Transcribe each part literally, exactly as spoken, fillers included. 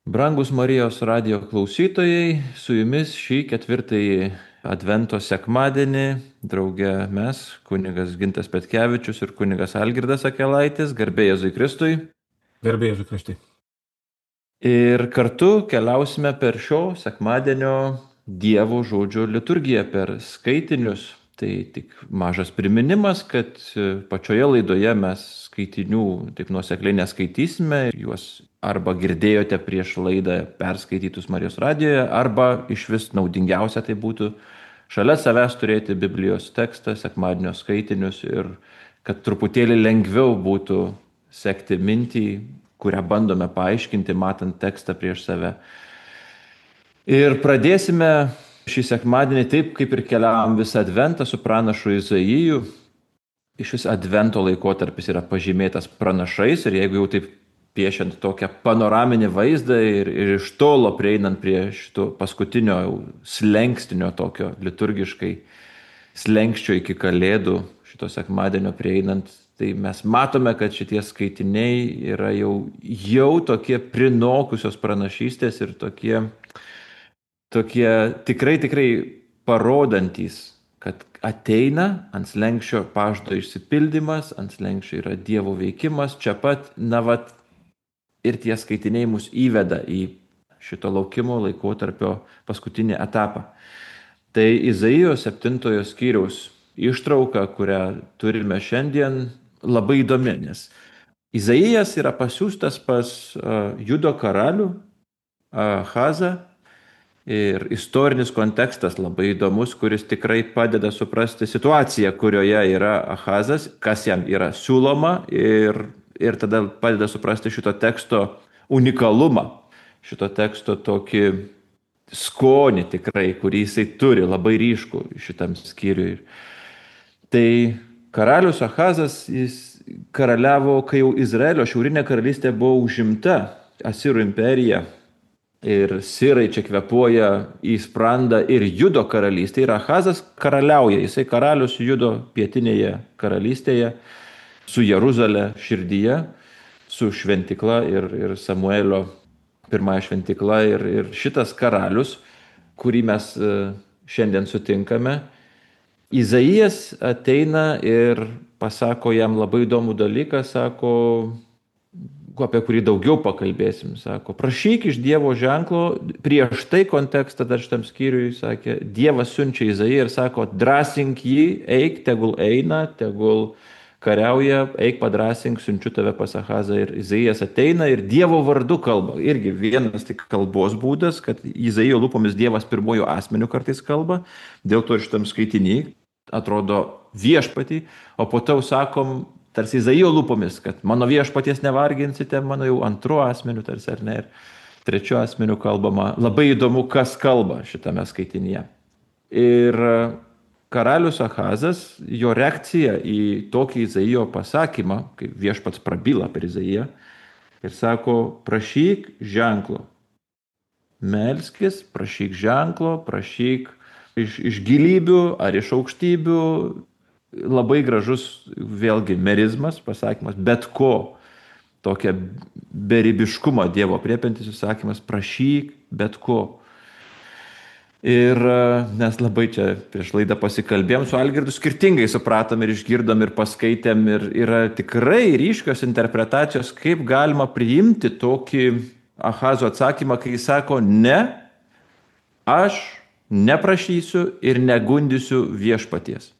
Brangus Marijos radio klausytojai, su jumis šį ketvirtąjį Advento sekmadienį drauge mes, kunigas Gintas Petkevičius ir kunigas Algirdas Akelaitis, garbė Jėzui Kristui. Garbė Jėzui Kristui. Ir kartu keliausime per šio sekmadienio Dievo žodžio liturgiją, per skaitinius. Tai tik mažas priminimas, kad pačioje laidoje mes skaitinių taip nuosekliai neskaitysime. Juos arba girdėjote prieš laidą perskaitytus Marijos radijoje, arba iš vis naudingiausia tai būtų šalia savęs turėti Biblijos tekstą, sekmadienio skaitinius ir kad truputėlį lengviau būtų sekti mintį, kurią bandome paaiškinti, matant tekstą prieš save. Ir pradėsime šį sekmadienį taip, kaip ir keliavom visą Adventą su pranašu Izaiju. Iš vis Advento laikotarpis yra pažymėtas pranašais ir jeigu jau taip piešiant tokią panoraminį vaizdą ir, ir iš tolo prieinant prie šito paskutinio slengstinio tokio liturgiškai slengsčio iki Kalėdų, šito sekmadienio prieinant, tai mes matome, kad šitie skaitiniai yra jau, jau tokie prinokusios pranašystės ir tokie, tokie tikrai, tikrai parodantys, kad ateina ant slenkščio pažado išsipildymas, ant slenkščio yra Dievo veikimas, čia pat, na vat, ir tie skaitiniai mus įveda į šito laukimo laikotarpio paskutinį etapą. Tai Izaijo septintojo skyriaus ištrauka, kurią turime šiandien, labai įdomi, nes Izaijas yra pasiųstas pas uh, Judo karalių Ahazą ir istorinis kontekstas labai įdomus, kuris tikrai padeda suprasti situaciją, kurioje yra Ahazas, kas jam yra siūloma ir, ir tada padeda suprasti šito teksto unikalumą, šito teksto tokį skonį tikrai, kurį jisai turi, labai ryškų šitam skyriui. Tai karalius Ahazas, jis karaliavo, kai jau Izraelio šiaurinė karalystė buvo užimta Asirų imperija ir sirai čia kvepuoja į sprandą ir Judo karalystė. Ir Ahazas karaliauja, jisai karalius Judo pietinėje karalystėje su Jeruzalė širdyje, su šventikla ir, ir Samuelio pirmąją šventikla ir, ir šitas karalius, kurį mes šiandien sutinkame, Izaijas ateina ir pasako jam labai įdomų dalyką, sako, apie kurį daugiau pakalbėsim, sako, prašyk iš Dievo ženklo, prieš tai kontekstą dar šitam skyriui, sakė, Dievas siunčia Izaiją ir sako, drąsink jį, eik, tegul eina, tegul kariauja, eik padrąsink, siunčiu tave pas Ahazą. Ir Izaijas ateina ir Dievo vardu kalba. Irgi vienas tik kalbos būdas, kad Izaijo lūpomis Dievas pirmojų asmenių kartais kalba, dėl to ir šitam skaitinį atrodo viešpatį, o po to sakom tarsi Izaijo lūpomis, kad mano viešpaties nevarginsite, mano jau antru asmeniu tarsi ar ne, ir trečiu asmeniu kalbama. Labai įdomu, kas kalba šitame skaitinyje. Ir karalius Ahazas, jo reakcija į tokį Izaijo pasakymą, kaip viešpats prabyla per Izaiją, ir sako, prašyk ženklo. Melskis, prašyk ženklo, prašyk iš, iš gilybių ar iš aukštybių. Labai gražus vėlgi merizmas, pasakymas, bet ko. Tokia beribiškumo Dievo apriepiantis įsakymas, prašyk bet ko. Ir mes labai čia prieš laidą pasikalbėjom su Algirdu, skirtingai supratom ir išgirdom ir paskaitėm ir yra tikrai ryškios interpretacijos, kaip galima priimti tokį Ahazo atsakymą, kai jis sako, ne, aš neprašysiu ir negundysiu viešpaties.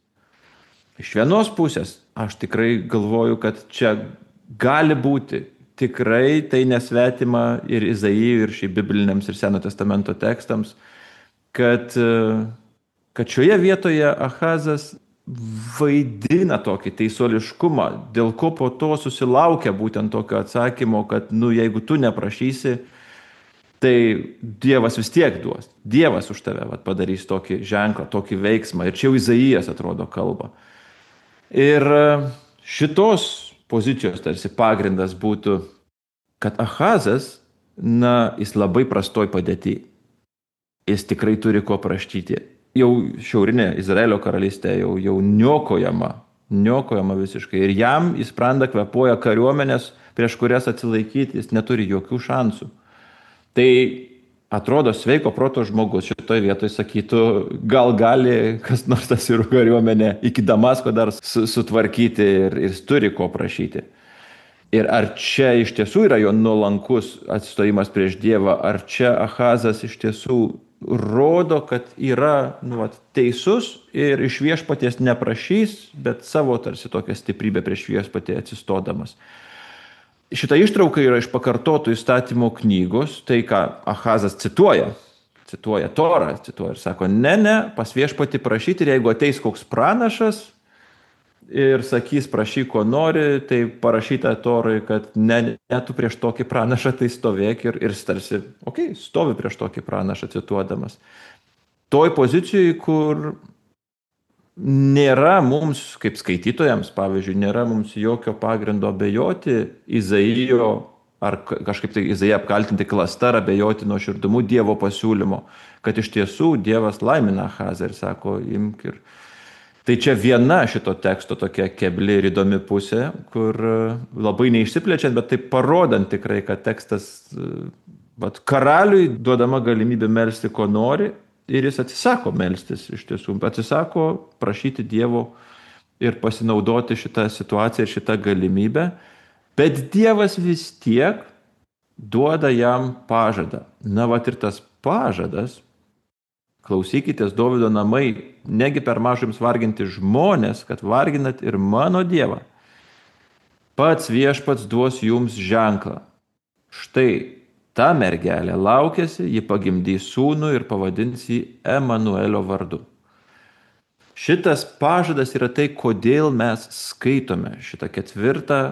Iš vienos pusės aš tikrai galvoju, kad čia gali būti, tikrai tai nesvetima ir Izaijui, ir šiaip bibliniams ir Seno testamento tekstams, Kad, kad šioje vietoje Ahazas vaidina tokį teisuoliškumą, dėl ko po to susilaukia būtent tokio atsakymo, kad, nu, jeigu tu neprašysi, tai Dievas vis tiek duos. Dievas už tave vat, padarys tokį ženklą, tokį veiksmą. Ir čia jau Izaijas atrodo kalba. Ir šitos pozicijos tarsi pagrindas būtų, kad Ahazas, na, jis labai prastoj padėty. Jis tikrai turi ko prašyti. Jau šiaurinė Izraelio karalystė jau, jau niokojama, niokojama visiškai. Ir jam į sprandą kvepuoja kariuomenės, prieš kurias atsilaikyti, jis neturi jokių šansų. Tai atrodo sveiko proto žmogus šitoje vietoje sakytų, gal gali kas nors asirų kariuomenę iki Damasko dar su, sutvarkyti ir, ir jis turi ko prašyti. Ir ar čia iš tiesų yra jo nuolankus atsistojimas prieš Dievą, ar čia Ahazas iš tiesų rodo, kad yra nu, vat, teisus ir iš viešpaties neprašys, bet savo tarsi tokią stiprybę prieš viešpatį atsistodamas. Šita ištrauka yra iš pakartotų įstatymų knygos, tai ką Ahazas cituoja, cituoja Torą, cituoja ir sako, ne, ne, pas viešpatį prašyti ir jeigu ateis koks pranašas, ir sakys, prašyk, ko nori, tai parašyta Torai, kad ne, ne tu prieš tokį pranašą, tai stovėk ir, ir tarsi, okei, okay, stovi prieš tokį pranašą cituodamas. Toj pozicijoje, kur nėra mums, kaip skaitytojams, pavyzdžiui, nėra mums jokio pagrindo abejoti Izaijo, ar kažkaip tai Izaiją apkaltinti klasta, ar abejoti nuoširdumu Dievo pasiūlymo, kad iš tiesų Dievas laimina Ahazą ir sako, imk ir... Tai čia viena šito teksto tokia kebli ir įdomi pusė, kur labai neišsiplečiant, bet tai parodant tikrai, kad tekstas, vat, karaliui duodama galimybė melsti, ko nori, ir jis atsisako melstis iš tiesų, atsisako prašyti Dievo ir pasinaudoti šitą situaciją ir šitą galimybę, bet Dievas vis tiek duoda jam pažadą. Na, vat ir tas pažadas, klausykitės, Dovydo namai, negi per mažai jums varginti žmonės, kad varginat ir mano Dievą. Pats viešpats duos jums ženklą. Štai ta mergelė laukiasi, ji pagimdys sūnų ir pavadins jį Emanuelio vardu. Šitas pažadas yra tai, kodėl mes skaitome šitą ketvirtą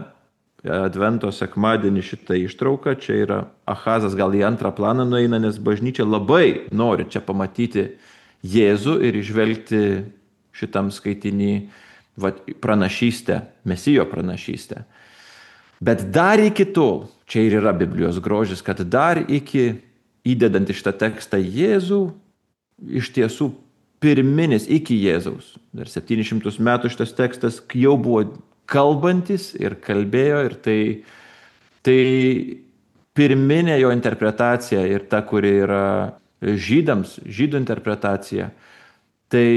Advento sekmadienį šitą ištrauką. Čia yra Ahazas gal į antrą planą nueina, nes bažnyčia labai nori čia pamatyti Jėzų ir išvelgti šitam skaitinį va, pranašystę, Mesijo pranašystę. Bet dar iki tol, čia ir yra Biblijos grožis, kad dar iki įdedant į šitą tekstą Jėzų, iš tiesų pirminis iki Jėzaus, dar septynis šimtus metų šitas tekstas jau buvo kalbantis ir kalbėjo, ir tai, tai pirminė jo interpretacija ir ta, kuri yra žydams, žydų interpretacija, tai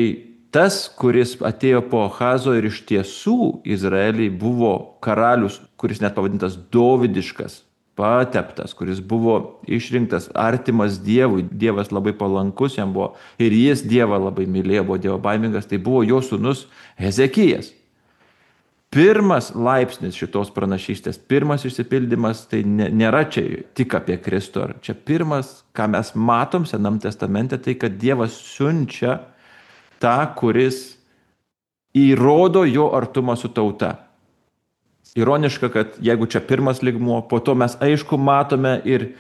tas, kuris atėjo po Ahazo ir iš tiesų Izraeliai buvo karalius, kuris net pavadintas dovydiškas, pateptas, kuris buvo išrinktas artimas Dievui, Dievas labai palankus jam buvo ir jis Dievą labai mylėjo, buvo Dievo baimingas, tai buvo jo sūnus Hezekijas. Pirmas laipsnis šitos pranašystės, pirmas išsipildymas, tai nėra čia tik apie Kristų. Čia pirmas, ką mes matom Senam testamente, tai kad Dievas siunčia tą, kuris įrodo jo artumą su tauta. Ironiška, kad jeigu čia pirmas lygmuo, po to mes aišku matome ir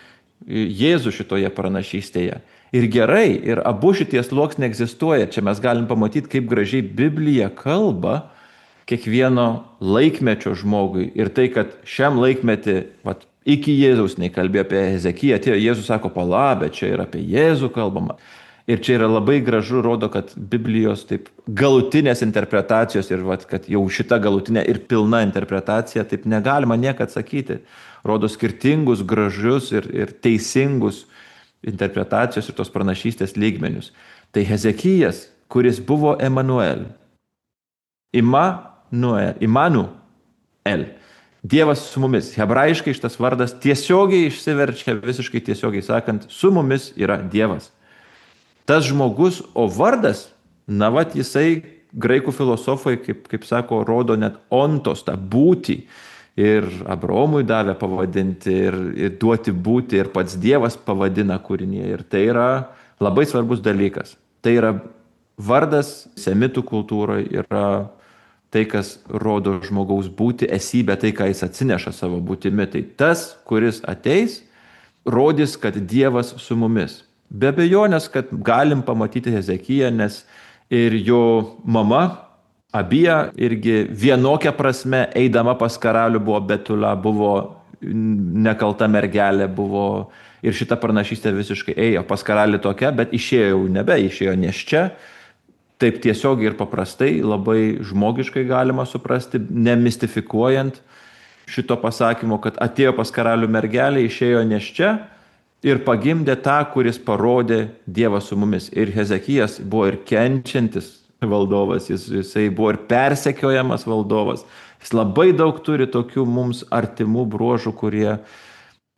Jėzų šitoje pranašystėje. Ir gerai, ir abu šitie sluoksniai egzistuoja. Čia mes galim pamatyti, kaip gražiai Biblija kalba kiekvieno laikmečio žmogui. Ir tai, kad šiam laikmetį, vat, iki Jėzaus nekalbėjo apie Hezekiją, atėjo Jėzus sako, pala, bet čia yra apie Jėzų kalbama. Ir čia yra labai gražu, rodo, kad Biblijos taip galutinės interpretacijos ir vat, kad jau šita galutinė ir pilna interpretacija, taip negalima niekad sakyti. Rodo skirtingus, gražius ir, ir teisingus interpretacijos ir tos pranašystės lygmenius. Tai Hezekijas, kuris buvo Emanuel. Imanuel, Imanuel. Dievas su mumis. Hebrajiškai šitas vardas tiesiogiai išsiverčia, visiškai tiesiogiai sakant, su mumis yra Dievas. Tas žmogus, o vardas, na vat jisai, graikų filosofai, kaip, kaip sako, rodo net ontos, tą būtį. Ir Abraomui davė pavadinti, ir, ir duoti būti, ir pats Dievas pavadina kūrinyje. Ir tai yra labai svarbus dalykas. Tai yra vardas semitų kultūroje, yra tai, kas rodo žmogaus būti, esybę, tai, ką jis atsineša savo būtimi. Tai tas, kuris ateis, rodys, kad Dievas su mumis. Be abejonės, kad galim pamatyti Hezekiją, nes ir jo mama, Abija, irgi vienokia prasme, eidama pas karalių buvo Betula, buvo nekalta mergelė, buvo ir šita pranašystė visiškai ėjo pas karalių tokia, bet išėjo jau nebe, išėjo nėščia. Taip tiesiogiai ir paprastai, labai žmogiškai galima suprasti, nemistifikuojant šito pasakymo, kad atėjo pas karalių mergelė, išėjo nėščia, ir pagimdė tą, kuris parodė Dievą su mumis. Ir Hezekijas buvo ir kenčiantis valdovas, jis, jisai buvo ir persekiojamas valdovas. Jis labai daug turi tokių mums artimų bruožų, kurie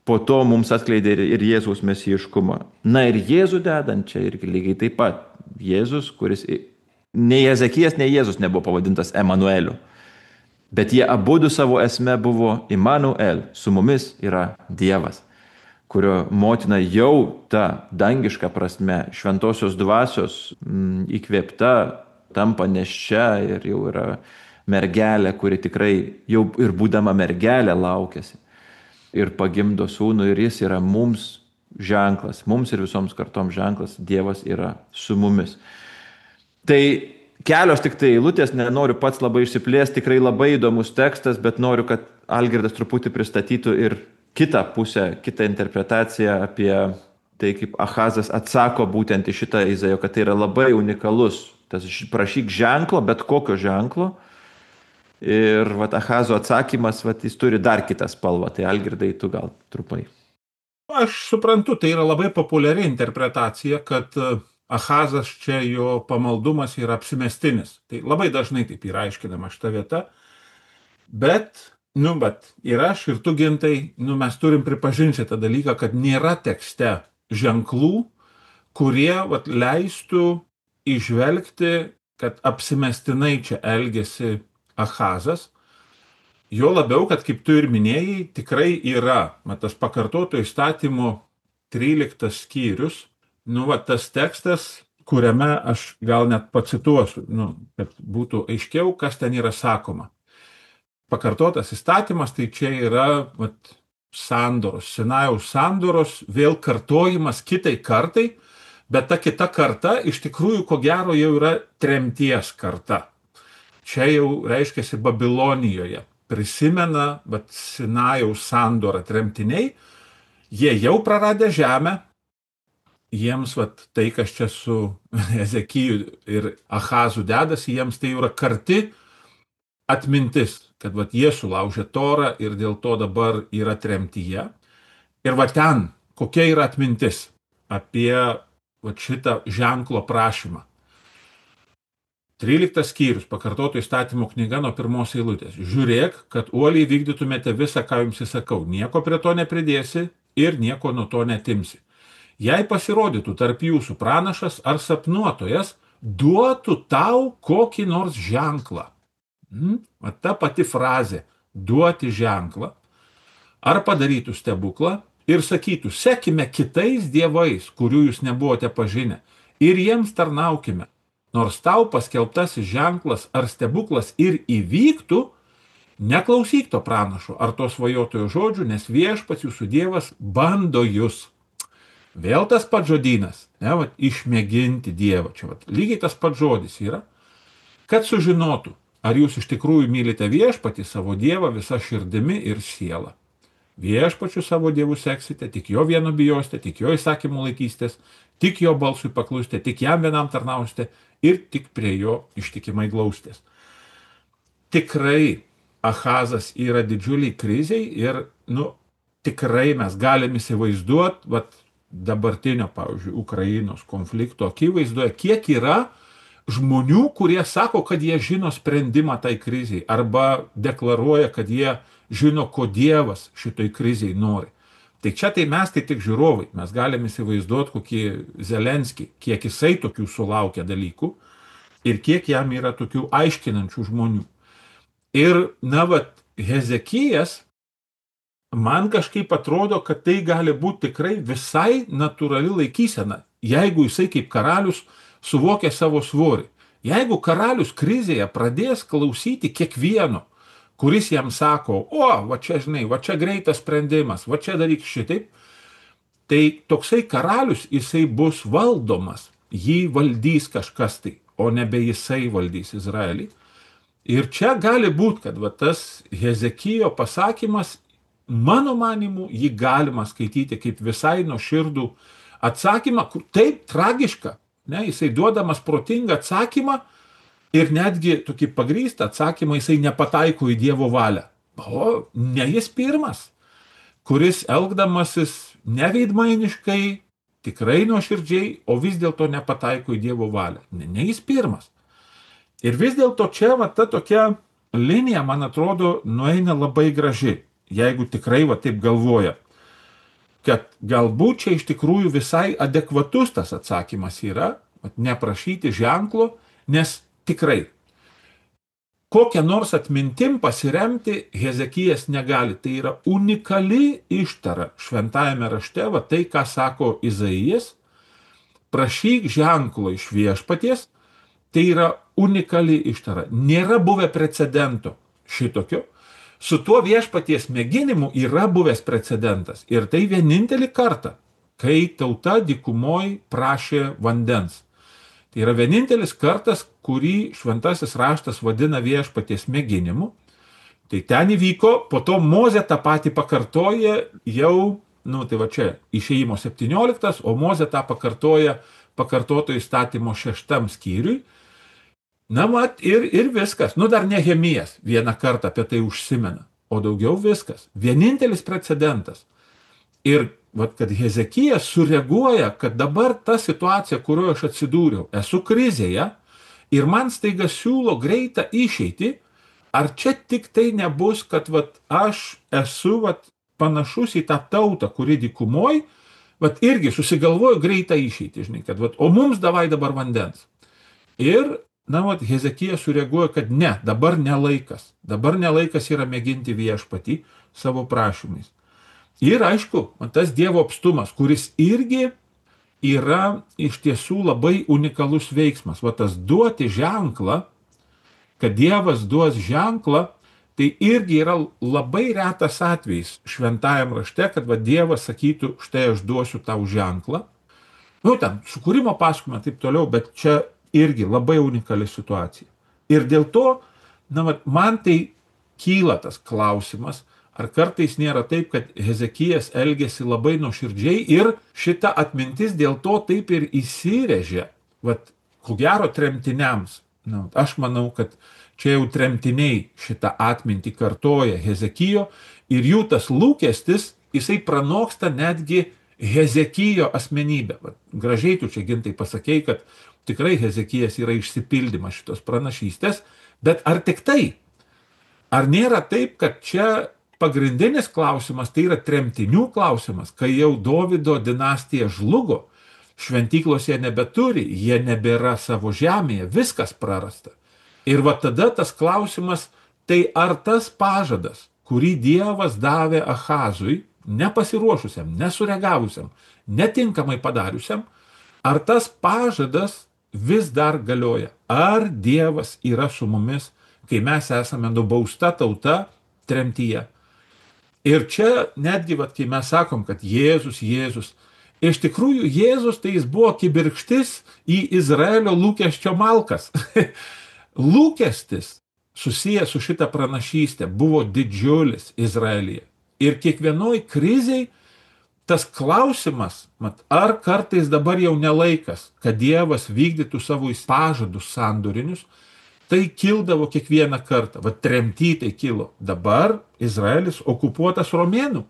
po to mums atskleidė ir, ir Jėzaus mesijiškumą. Na ir Jėzų dedant čia irgi lygiai taip pat. Jėzus, kuris nei Hezekijas, nei Jėzus nebuvo pavadintas Emanueliu. Bet jie abudu savo esme buvo Immanuel, su mumis yra Dievas, kurio motina jau ta dangiška prasme, šventosios dvasios m, įkvėpta, tampa neščia ir jau yra mergelė, kuri tikrai jau ir būdama mergelė laukiasi. Ir pagimdo sūnų ir jis yra mums ženklas, mums ir visoms kartoms ženklas, Dievas yra su mumis. Tai kelios tik tai eilutės, nenoriu pats labai išsiplėsti, tikrai labai įdomus tekstas, bet noriu, kad Algirdas truputį pristatytų ir kitą pusę, kitą interpretaciją apie tai, kaip Ahazas atsako būtent į šitą Izaijo, kad tai yra labai unikalus, tas prašyk ženklo, bet kokio ženklo. Ir vat, Ahazo atsakymas, vat, jis turi dar kitą spalvą, tai Algirdai, tu gal trupai. Aš suprantu, tai yra labai populiari interpretacija, kad Ahazas čia jo pamaldumas yra apsimestinis. Tai labai dažnai taip yra aiškinama šita vieta. Bet, nu, bet ir aš, ir tu, Gintai, nu, mes turim pripažinti šitą dalyką, kad nėra tekste ženklų, kurie vat, leistų įžvelgti, kad apsimestinai čia elgėsi Ahazas. Jo labiau, kad kaip tu ir minėjai, tikrai yra, mat, tas pakartoto įstatymo tryliktas skyrius, nu, va, tas tekstas, kuriame aš gal net pacituosiu, nu, kad būtų aiškiau, kas ten yra sakoma. Pakartotas įstatymas, tai čia yra vat, sandoros, Sinajaus sandoros, vėl kartojimas kitai kartai, bet ta kita karta iš tikrųjų, ko gero, jau yra tremties karta. Čia jau reiškiasi Babilonijoje. Prisimena, bet Sinajaus sandorą tremtiniai, jie jau praradę žemę, jiems vat, tai, kas čia su Hezekiju ir Ahazu dedasi, jiems tai yra karti atmintis, kad vat, jie sulaužė Torą ir dėl to dabar yra tremtyje. Ir va ten, kokia yra atmintis apie vat, šitą ženklo prašymą. tryliktas skyrius, pakartoto įstatymo knyga nuo pirmos eilutės. Žiūrėk, kad uoliai vykdytumėte visą, ką jums įsakau. Nieko prie to nepridėsi ir nieko nuo to netimsi. Jei pasirodytų tarp jūsų pranašas ar sapnuotojas, duotų tau kokį nors ženklą. Hmm? Ta pati frazė – duoti ženklą. Ar padarytų stebuklą ir sakytų, sekime kitais dievais, kurių jūs nebuvote pažinę, ir jiems tarnaukime. Nors tau paskelbtasis ženklas ar stebuklas ir įvyktų, neklausyk to pranašo ar to svajotojo žodžių, nes viešpats jūsų Dievas bando jūs. Vėl tas pats žodynas, ne, va, išmėginti Dievą. Čia va, lygiai tas pats žodis yra, kad sužinotų, ar jūs iš tikrųjų mylite viešpatį savo Dievą visą širdimi ir sielą. Viešpačiu savo Dievu seksite, tik jo vieno bijosite, tik jo įsakymų laikysitės, tik jo balsui paklusite, tik jam vienam tarnausite ir tik prie jo ištikimai glaustės. Tikrai Ahazas yra didžiuliai kriziai ir, nu, tikrai mes galim įsivaizduoti, vat, dabartinio, pavyzdžiui, Ukrainos konflikto akivaizdoje, kiek yra žmonių, kurie sako, kad jie žino sprendimą tai kriziai arba deklaruoja, kad jie žino, ko Dievas šitoj kriziai nori. Tai čia tai mes tai tik žiūrovai, mes galime įsivaizduoti kokį Zelenskį, kiek jisai tokių sulaukia dalykų ir kiek jam yra tokių aiškinančių žmonių. Ir, na, vat, Hezekijas, man kažkaip atrodo, kad tai gali būti tikrai visai natūrali laikysena, jeigu jisai kaip karalius suvokia savo svorį. Jeigu karalius krizėje pradės klausyti kiekvieno, kuris jam sako, o, va čia, žinai, va čia greitas sprendimas, va čia daryk šitaip, tai toksai karalius jisai bus valdomas, jį valdys kažkas tai, o nebe jisai valdys Izraelį. Ir čia gali būti, kad va, tas Hezekijo pasakymas, mano manimu, jį galima skaityti kaip visai nuoširdų atsakymą, kur taip tragiška, ne, jisai duodamas protingą atsakymą, ir netgi tokį pagrįstą atsakymą jisai nepataiko į Dievo valią. O ne jis pirmas, kuris elgdamasis neveidmainiškai, tikrai nuoširdžiai, o vis dėlto nepataiko į Dievo valią. Ne, ne jis pirmas. Ir vis dėlto čia va, ta tokia linija, man atrodo, nueina labai graži, jeigu tikrai va taip galvoja, kad galbūt čia iš tikrųjų visai adekvatus tas atsakymas yra, va, neprašyti ženklo, nes tikrai kokią nors atmintim pasiremti Hezekijas negali. Tai yra unikali ištara šventajame rašte, va tai, ką sako Izaijas, prašyk ženklo iš viešpaties, tai yra unikali ištara. Nėra buvę precedento šitokio. Su tuo viešpaties mėginimu yra buvęs precedentas. Ir tai vienintelį kartą, kai tauta dykumoj prašė vandens. Tai yra vienintelis kartas, kurį šventasis raštas vadina viešpaties mėginimu. Tai ten įvyko, po to Mozė tą patį pakartoja jau, nu tai va čia, Išėjimo septynioliktas, o Mozė tą pakartoja pakartoto įstatymo šeštam skyriui. Na mat, ir, ir viskas. Nu dar Nehemijas vieną kartą apie tai užsimena, o daugiau viskas. Vienintelis precedentas. Ir vat, kad Hezekijas sureaguoja, kad dabar ta situacija, kurioje aš atsidūriau, esu krizėje ir man staiga siūlo greitą išeitį, ar čia tik tai nebus, kad vat, aš esu vat, panašus į tą tautą, kuri dykumoj, vat, irgi susigalvoju greitą išeitį, žinai, kad vat, o mums davai dabar vandens. Ir, na, vat, Hezekijas sureaguoja, kad ne, dabar nelaikas. Dabar nelaikas yra mėginti viešpatį savo prašymais. Ir aišku, tas Dievo apstumas, kuris irgi yra iš tiesų labai unikalus veiksmas. Va tas duoti ženklą, kad Dievas duos ženklą, tai irgi yra labai retas atvejis šventajam rašte, kad va Dievas sakytų, štai aš duosiu tau ženklą. Nu, ten, sukūrimo pasakojimą, taip toliau, bet čia irgi labai unikali situacija. Ir dėl to, na, va, man tai kyla tas klausimas, ar kartais nėra taip, kad Hezekijas elgėsi labai nuoširdžiai ir šita atmintis dėl to taip ir įsirėžė. Vat, ko gero tremtiniams. Na, aš manau, kad čia jau tremtiniai šitą atmintį kartoja Hezekijo ir jų tas lūkestis, jisai pranoksta netgi Hezekijo asmenybę. Vat, gražiai tu čia gintai pasakei, kad tikrai Hezekijas yra išsipildymas šitos pranašystės, bet ar tik tai? Ar nėra taip, kad čia pagrindinis klausimas, tai yra tremtinių klausimas, kai jau Dovydo dinastija žlugo, šventyklos jie nebeturi, jie nebėra savo žemėje, viskas prarasta. Ir va tada tas klausimas, tai ar tas pažadas, kurį Dievas davė Ahazui, nepasiruošusiam, nesureagavusiam, netinkamai padariusiam, ar tas pažadas vis dar galioja? Ar Dievas yra su mumis, kai mes esame nubausta tauta tremtyje? Ir čia netgi, vat, kai mes sakom, kad Jėzus, Jėzus, iš tikrųjų Jėzus tai jis buvo kibirkštis į Izraelio lūkesčio malkas. Lūkestis susijęs su šita pranašystė buvo didžiulis Izraelyje. Ir kiekvienoj kriziai tas klausimas, mat, ar kartais dabar jau nelaikas, kad Dievas vykdytų savo pažadus sandorinius, tai kildavo kiekvieną kartą. Va tremty tai kilo. Dabar Izraelis okupuotas romėnų,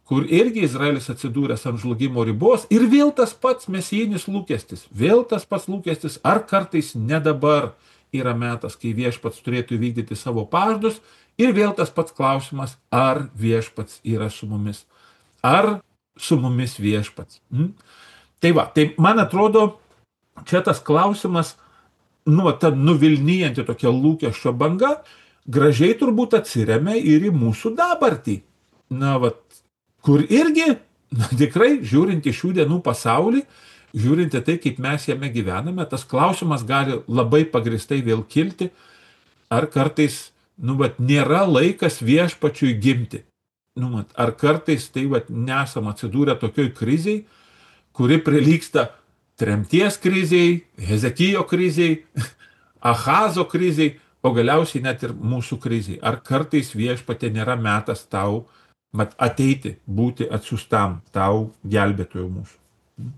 kur irgi Izraelis atsidūręs ant žlugimo ribos ir vėl tas pats mesijinis lūkestis. Vėl tas pats lūkestis, ar kartais ne dabar yra metas, kai viešpats turėtų vykdyti savo pažadus ir vėl tas pats klausimas, ar viešpats yra su mumis. Ar su mumis viešpats. Hmm? Tai va, tai man atrodo, čia tas klausimas, nu, ta nuvilnijanti tokia lūkesčio banga, gražiai turbūt atsiremia ir į mūsų dabartį. Na, vat, kur irgi, na, tikrai, žiūrint į šių dienų pasaulį, žiūrint į tai, kaip mes jame gyvename, tas klausimas gali labai pagristai vėl kilti, ar kartais, nu, vat, nėra laikas viešpačiui gimti. Nu, vat, ar kartais tai, vat, nesam atsidūrę tokioj kriziai, kuri prilygsta tremties kriziai, Hezekijo kriziai, Ahazo kriziai, o galiausiai net ir mūsų kriziai. Ar kartais viešpatė nėra metas tau mat, ateiti, būti atsiųstam tau gelbėtojo mūsų?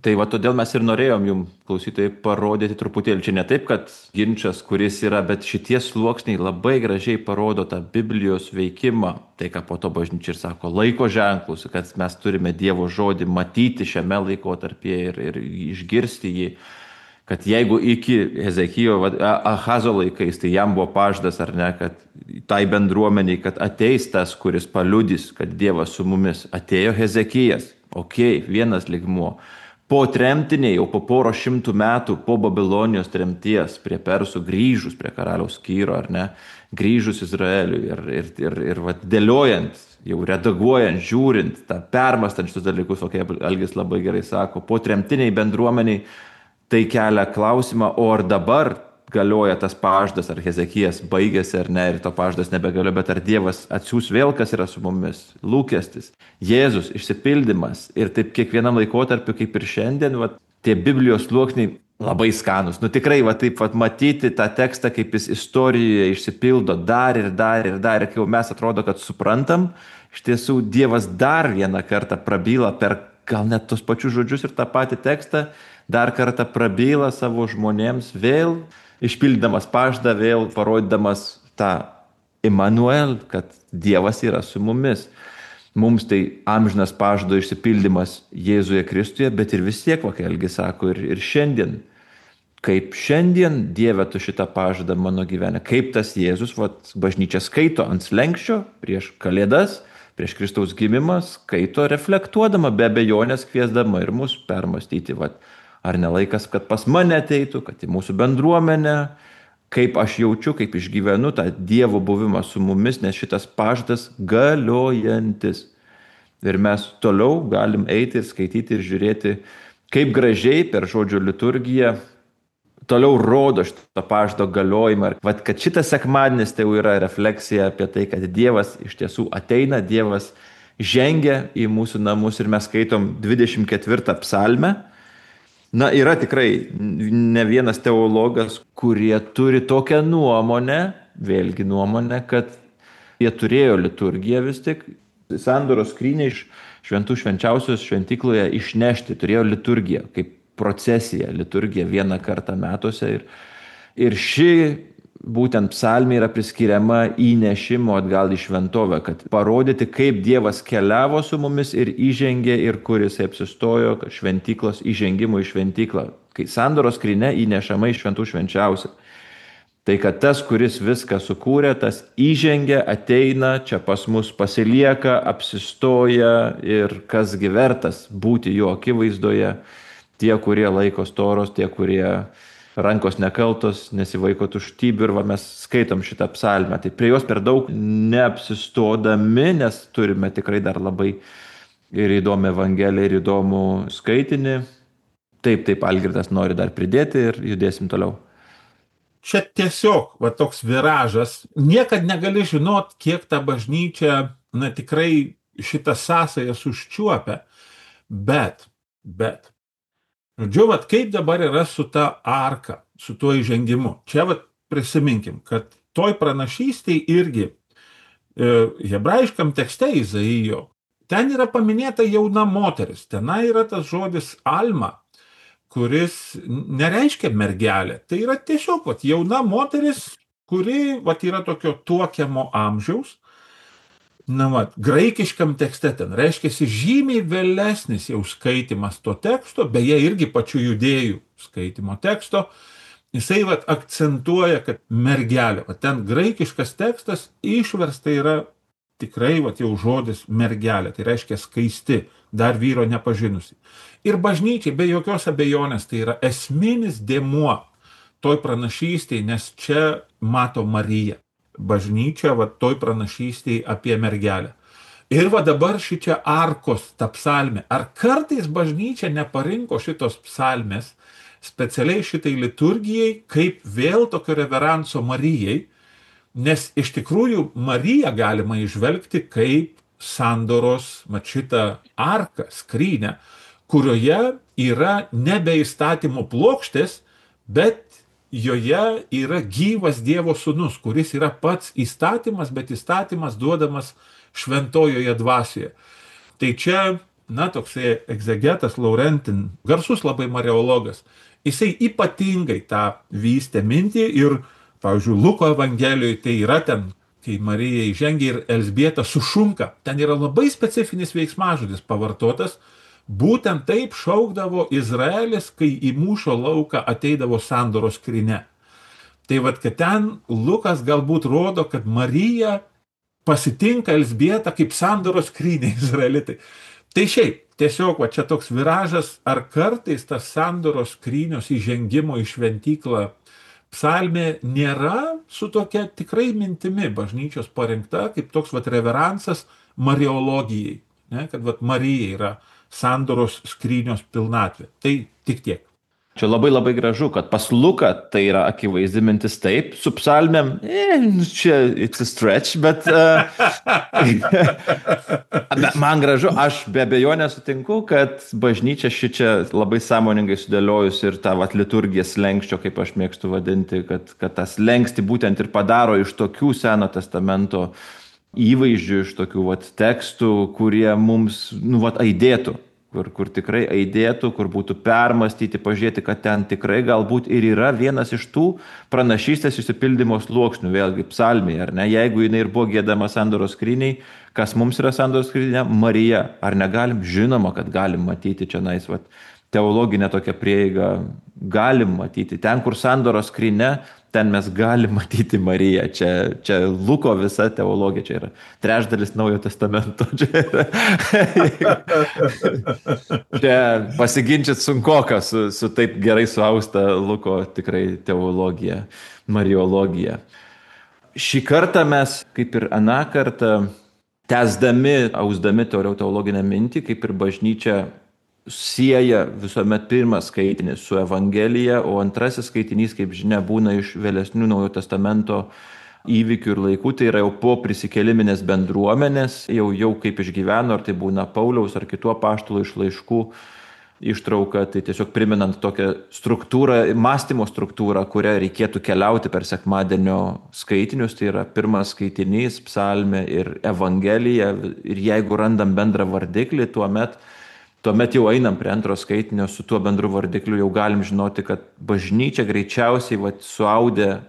Tai va todėl mes ir norėjom jum, klausytojai, parodyti truputėlį. Čia ne taip, kad ginčas, kuris yra, bet šitie sluoksniai labai gražiai parodo tą Biblijos veikimą. Tai, ką po to bažnyčia ir sako, laiko ženklus, kad mes turime Dievo žodį matyti šiame laikotarpyje ir, ir išgirsti jį. Kad jeigu iki Hezekijo, Ahazo laikais, tai jam buvo pažadas, ar ne, kad tai bendruomeniai, kad ateis tas, kuris paliudys, kad Dievas su mumis. Atėjo Hezekijas. Ok, vienas lygmuo. Po tremtiniai, jau po poro šimtų metų, po Babilonijos tremties, prie Persų grįžus, prie karaliaus Kyro, ar ne, grįžus Izraeliui ir, ir, ir, ir va, dėliojant, jau redaguojant, žiūrint, tą permastant šitus dalykus, o kaip Algis labai gerai sako, po tremtiniai bendruomeniai, tai kelia klausimą, o ar dabar galioja tas pažadas, ar Hezekijas baigėsi ar ne, ir to pažadas nebegalioja, bet ar Dievas atsiųs vėl, kas yra su mumis, lūkestis, Jėzus, išsipildymas. Ir taip kiekvienam laikotarpiu, kaip ir šiandien, va, tie Biblijos sluoksniai labai skanus. Nu tikrai, va taip, va, matyti tą tekstą, kaip jis istorijoje išsipildo dar ir dar ir dar, ir kai jau mes atrodo, kad suprantam, iš tiesų Dievas dar vieną kartą prabyla per gal net tos pačius žodžius ir tą patį tekstą, dar kartą prabyla savo žmonėms vėl, išpildamas pažadą, vėl parodydamas tą Immanuel, kad Dievas yra su mumis. Mums tai amžinas pažado išsipildymas Jėzuje Kristuje, bet ir vis tiek, va, kai Algis sako, ir, ir šiandien. Kaip šiandien Dieve tu šitą pažadą mano gyvenime, kaip tas Jėzus, va, bažnyčia skaito ant slenksčio prieš Kalėdas, prieš Kristaus gimimą, skaito reflektuodama, be abejonės kviesdama ir mus permastyti, va, ar ne laikas, kad pas mane ateitų, kad į mūsų bendruomenę, kaip aš jaučiu, kaip išgyvenu tą Dievo buvimą su mumis, nes šitas pažadas galiojantis. Ir mes toliau galim eiti ir skaityti ir žiūrėti, kaip gražiai per žodžio liturgiją toliau rodo šitą pažado galiojimą. Vat, kad šitas sekmadienis tai jau yra refleksija apie tai, kad Dievas iš tiesų ateina, Dievas žengia į mūsų namus ir mes skaitom dvidešimt ketvirtą psalmę. Na, yra tikrai ne vienas teologas, kurie turi tokią nuomonę, vėlgi nuomonę, kad jie turėjo liturgiją vis tik, sandoros skrynią iš šventų švenčiausios šventykloje išnešti, turėjo liturgiją, kaip procesiją, liturgiją vieną kartą metuose. Ir, ir ši būtent psalmė yra priskiriama įnešimo atgal į šventovę, kad parodyti, kaip Dievas keliavo su mumis ir įžengė ir kur jisai apsistojo, kad šventyklos įžengimo į šventyklą, kai sandoros skrynia įnešama į šventų švenčiausią. Tai kad tas, kuris viską sukūrė, tas įžengia, ateina, čia pas mus pasilieka, apsistoja ir kas gi vertas būti jo akivaizdoje, tie, kurie laiko storos, tie, kurie rankos nekaltos, nesivaiko tuštybių, ir va, mes skaitom šitą psalmę. Tai prie jos per daug neapsistodami, nes turime tikrai dar labai ir įdomią evangeliją, ir įdomų skaitinį. Taip, taip, Algirdas nori dar pridėti ir judėsim toliau. Čia tiesiog va, toks viražas. Niekad negali žinot, kiek ta bažnyčia, na tikrai šitą sąsają užčiuopia. Bet, bet, žodžiu, vat, kaip dabar yra su ta arka, su tuo įžengimu. Čia vat, prisiminkim, kad toj pranašystėj irgi e, hebrajiškam tekste Izaijo, ten yra paminėta jauna moteris. Tenai yra tas žodis alma, kuris nereiškia mergelė. Tai yra tiesiog vat, jauna moteris, kuri vat, yra tokio tuokiamo amžiaus. Na, vat, graikiškam tekste ten reiškiasi žymiai vėlesnis jau skaitimas to teksto, beje irgi pačių judėjų skaitimo teksto, jisai vat, akcentuoja, kad mergelė, vat, ten graikiškas tekstas išversta yra tikrai vat, jau žodis mergelė, tai reiškia skaisti, dar vyro nepažinusi. Ir bažnyčiai be jokios abejonės tai yra esminis dėmuo toj pranašystėj, nes čia mato Mariją. Bažnyčia va toj pranašystėj apie mergelę. Ir va dabar šičia arkos ta psalmė. Ar kartais bažnyčia neparinko šitos psalmės specialiai šitai liturgijai, kaip vėl tokio reveranso Marijai, nes iš tikrųjų Mariją galima įžvelgti kaip sandoros, mat šitą arką, skrynę, kurioje yra nebe įstatymo plokštės, bet joje yra gyvas Dievo sūnus, kuris yra pats įstatymas, bet įstatymas duodamas šventojoje dvasioje. Tai čia, na, toksai egzegetas Laurentin, garsus labai mariologas, jisai ypatingai tą vystė mintį ir, pavyzdžiui, Luko Evangelijoje tai yra ten, kai Marija įžengia ir Elzbieta sušunka, ten yra labai specifinis veiksmažodis pavartotas, būtent taip šaukdavo Izraelis, kai į mūšio lauką ateidavo sandoros skrynia. Tai vad, kad ten Lukas galbūt rodo, kad Marija pasitinka Elzbietą kaip sandoros skrynia izraelitai. Tai šiaip, tiesiog va, čia toks viražas, ar kartais tas sandoros skrynios įžengimo į šventyklą psalmė nėra su tokia tikrai mintimi bažnyčios parinkta, kaip toks vat reveransas mariologijai, ne? Kad vat Marija yra sandoros skrynios pilnatvė. Tai tik tiek. Čia labai labai gražu, kad pas Luką tai yra akivaizdi mintis taip, su psalmėm, e, čia it's a stretch, bet uh, man gražu, aš be abejonės sutinku, kad bažnyčia ši čia labai sąmoningai sudėliojus ir tą vat liturgiją slenkščio, kaip aš mėgstu vadinti, kad, kad tas slenkstį būtent ir padaro iš tokių Seno testamento įvaizdžių, iš tokių vat tekstų, kurie mums, nu, vat aidėtų. Kur, kur tikrai aidėtų, kur būtų permastyti, pažiūrėti, kad ten tikrai galbūt ir yra vienas iš tų pranašystės išsipildymo sluoksnių, vėlgi psalmėje, ar ne? Jeigu jinai ir buvo giedama sandoros skryniai, kas mums yra sandoros skrynia? Marija. Ar negalim? Žinoma, kad galim matyti čia nais, vat, teologinę tokią prieigą, galim matyti. Ten, kur sandoros skrynia, ten mes galim matyti Mariją. Čia, čia Luko visa teologija, čia yra trečdalis Naujojo testamento. Čia, yra... čia pasiginčyt sunkoka su, su taip gerai suausta Luko tikrai teologija, mariologija. Šį kartą mes, kaip ir aną kartą, tęsdami, ausdami teologinę mintį, kaip ir bažnyčia sieja visuomet pirmas skaitinys su Evangelija, o antrasis skaitinys, kaip žinia, būna iš vėlesnių Naujojo testamento įvykių ir laikų, tai yra jau po prisikėliminės bendruomenės, jau, jau kaip išgyveno, ar tai būna Pauliaus ar kitų apaštalų iš laiškų ištrauka, tai tiesiog priminant tokią struktūrą, mąstymo struktūrą, kurią reikėtų keliauti per sekmadienio skaitinius, tai yra pirmas skaitinys, psalmė ir Evangelija, ir jeigu randam bendrą vardiklį, tuomet Tuomet jau einam prie antro skaitinio, su tuo bendru vardikliu jau galim žinoti, kad bažnyčia greičiausiai vat, suaudė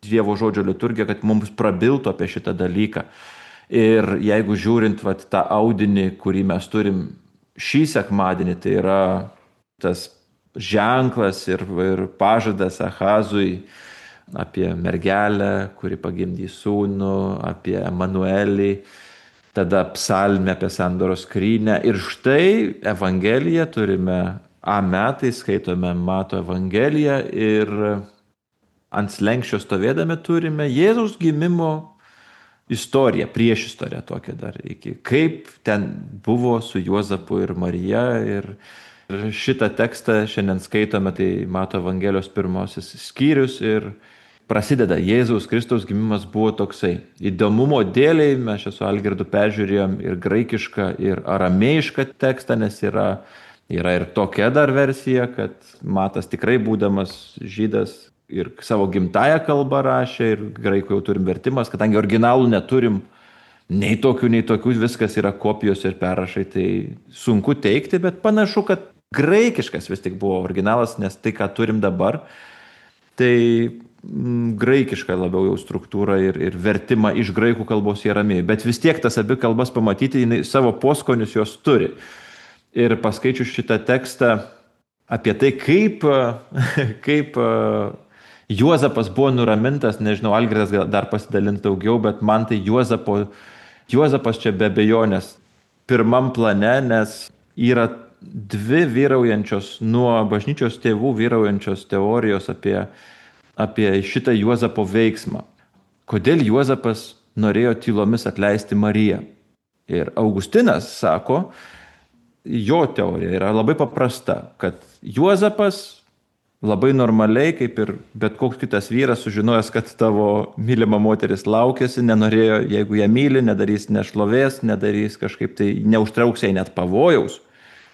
Dievo žodžio liturgiją, kad mums prabiltų apie šitą dalyką. Ir jeigu žiūrint vat, tą audinį, kurį mes turim šį sekmadienį, tai yra tas ženklas ir, ir pažadas Ahazui apie mergelę, kuri pagimdys sūnų, apie Emanuelį, tada psalmė apie sandoros skrynią. Ir štai Evangeliją turime A metai, skaitome Mato Evangeliją ir ant slenkščio stovėdami turime Jėzaus gimimo istoriją, priešistorę tokią dar iki. Kaip ten buvo su Juozapu ir Marija. Ir, ir šitą tekstą šiandien skaitome, tai Mato Evangelijos pirmasis skyrius ir prasideda Jėzaus Kristaus gimimas buvo toksai. Įdomumo dėliai mes čia su Algirdu peržiūrėjom ir graikišką, ir aramėjišką tekstą, nes yra, yra ir tokia dar versija, kad Matas tikrai būdamas žydas ir savo gimtają kalbą rašė, ir graikų jau turim vertimas, kadangi originalų neturim nei tokių, nei tokių, viskas yra kopijos ir perrašai, tai sunku teikti, bet panašu, kad graikiškas vis tik buvo originalas, nes tai, ką turim dabar, tai graikiška labiau jau struktūra ir, ir vertimą iš graikų kalbos į aramėjų. Bet vis tiek tas abi kalbas pamatyti, jinai savo poskonius jos turi. Ir paskaičiu šitą tekstą apie tai, kaip, kaip Juozapas buvo nuramintas, nežinau, Algirdas dar pasidalins daugiau, bet man tai Juozapo, Juozapas čia be abejonės pirmam plane, nes yra dvi vyraujančios, nuo bažnyčios tėvų vyraujančios teorijos apie apie šitą Juozapo veiksmą. Kodėl Juozapas norėjo tylomis atleisti Mariją? Ir Augustinas sako, jo teorija yra labai paprasta, kad Juozapas labai normaliai, kaip ir bet koks kitas vyras, sužinojęs, kad tavo mylima moteris laukiasi, nenorėjo, jeigu ją myli, nedarys nešlovės, nedarys kažkaip tai, neužtrauks jai net pavojaus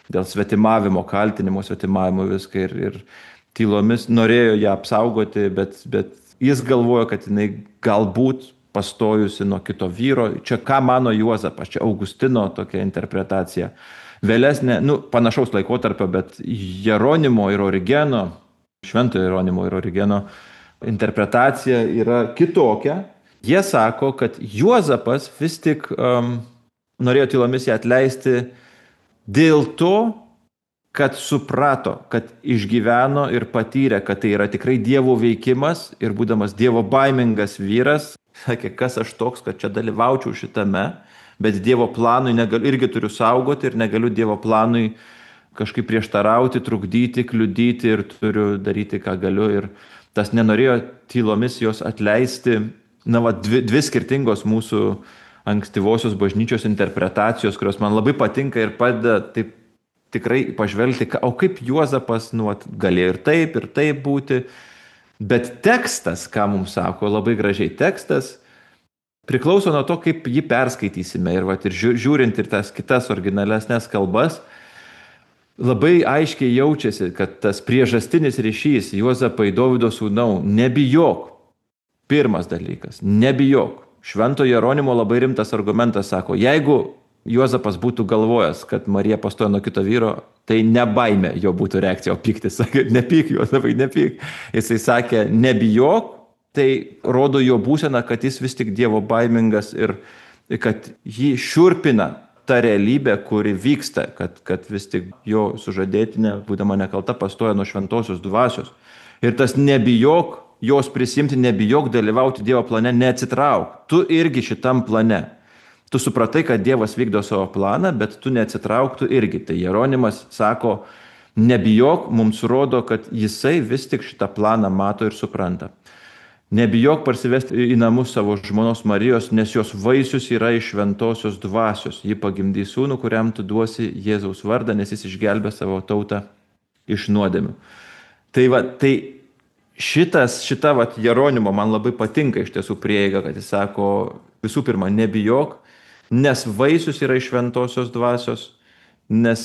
dėl svetimavimo, kaltinimo, svetimavimo viską ir, ir tylomis norėjo ją apsaugoti, bet, bet jis galvojo, kad jinai galbūt pastojusi nuo kito vyro. Čia ką mano Juozapas, čia Augustino tokia interpretacija. vėlesnė, nu, panašaus laikotarpio, bet Jeronimo ir Origeno, šventojo Jeronimo ir Origeno interpretacija yra kitokia. Jie sako, kad Juozapas vis tik um, norėjo tylomis ją atleisti dėl to, kad suprato, kad išgyveno ir patyrė, kad tai yra tikrai Dievo veikimas ir būdamas Dievo baimingas vyras, sakė, kas aš toks, kad čia dalyvaučiau šitame, bet Dievo planui negaliu, irgi turiu saugoti ir negaliu Dievo planui kažkaip prieštarauti, trukdyti, kliudyti ir turiu daryti, ką galiu. Ir tas nenorėjo tylomis jos atleisti. Na, va, dvi, dvi skirtingos mūsų ankstyvosios bažnyčios interpretacijos, kurios man labai patinka ir padeda taip tikrai pažvelgti, o kaip Juozapas nu, galėjo ir taip, ir taip būti. Bet tekstas, ką mums sako, labai gražiai tekstas, priklauso nuo to, kaip jį perskaitysime. Ir, va, ir žiūrint ir tas kitas originalesnės kalbas, labai aiškiai jaučiasi, kad tas priežastinis ryšys Juozapai Dovydo sūnau, nebijok. Pirmas dalykas, nebijok. Švento Jeronimo labai rimtas argumentas sako, jeigu Juozapas būtų galvojęs, kad Marija pastojo nuo kito vyro, tai ne baimė jo būtų reakcija, o pyktis. Sakė, nepyk, Juozapai, nepyk. Jisai sakė, nebijok, tai rodo jo būseną, kad jis vis tik Dievo baimingas ir kad jį šiurpina ta realybė, kuri vyksta, kad, kad vis tik jo sužadėtinė, būdama nekalta, pastoja nuo šventosios dvasios. Ir tas nebijok, jos prisimti, nebijok dalyvauti Dievo plane, neatsitrauk. Tu irgi šitam plane. Tu supratai, kad Dievas vykdo savo planą, bet tu neatsitrauk, tu irgi. Tai Jeronimas sako, nebijok, mums rodo, kad jisai vis tik šitą planą mato ir supranta. Nebijok parsivesti į namus savo žmonos Marijos, nes jos vaisius yra iš šventosios dvasios. Ji pagimdys sūnų, kuriam tu duosi Jėzaus vardą, nes jis išgelbė savo tautą iš nuodėmių. Tai va, tai šitas, šita va, Jeronimo man labai patinka iš tiesų prieiga, kad jis sako, visų pirma, nebijok, nes vaisius yra iš šventosios dvasios, nes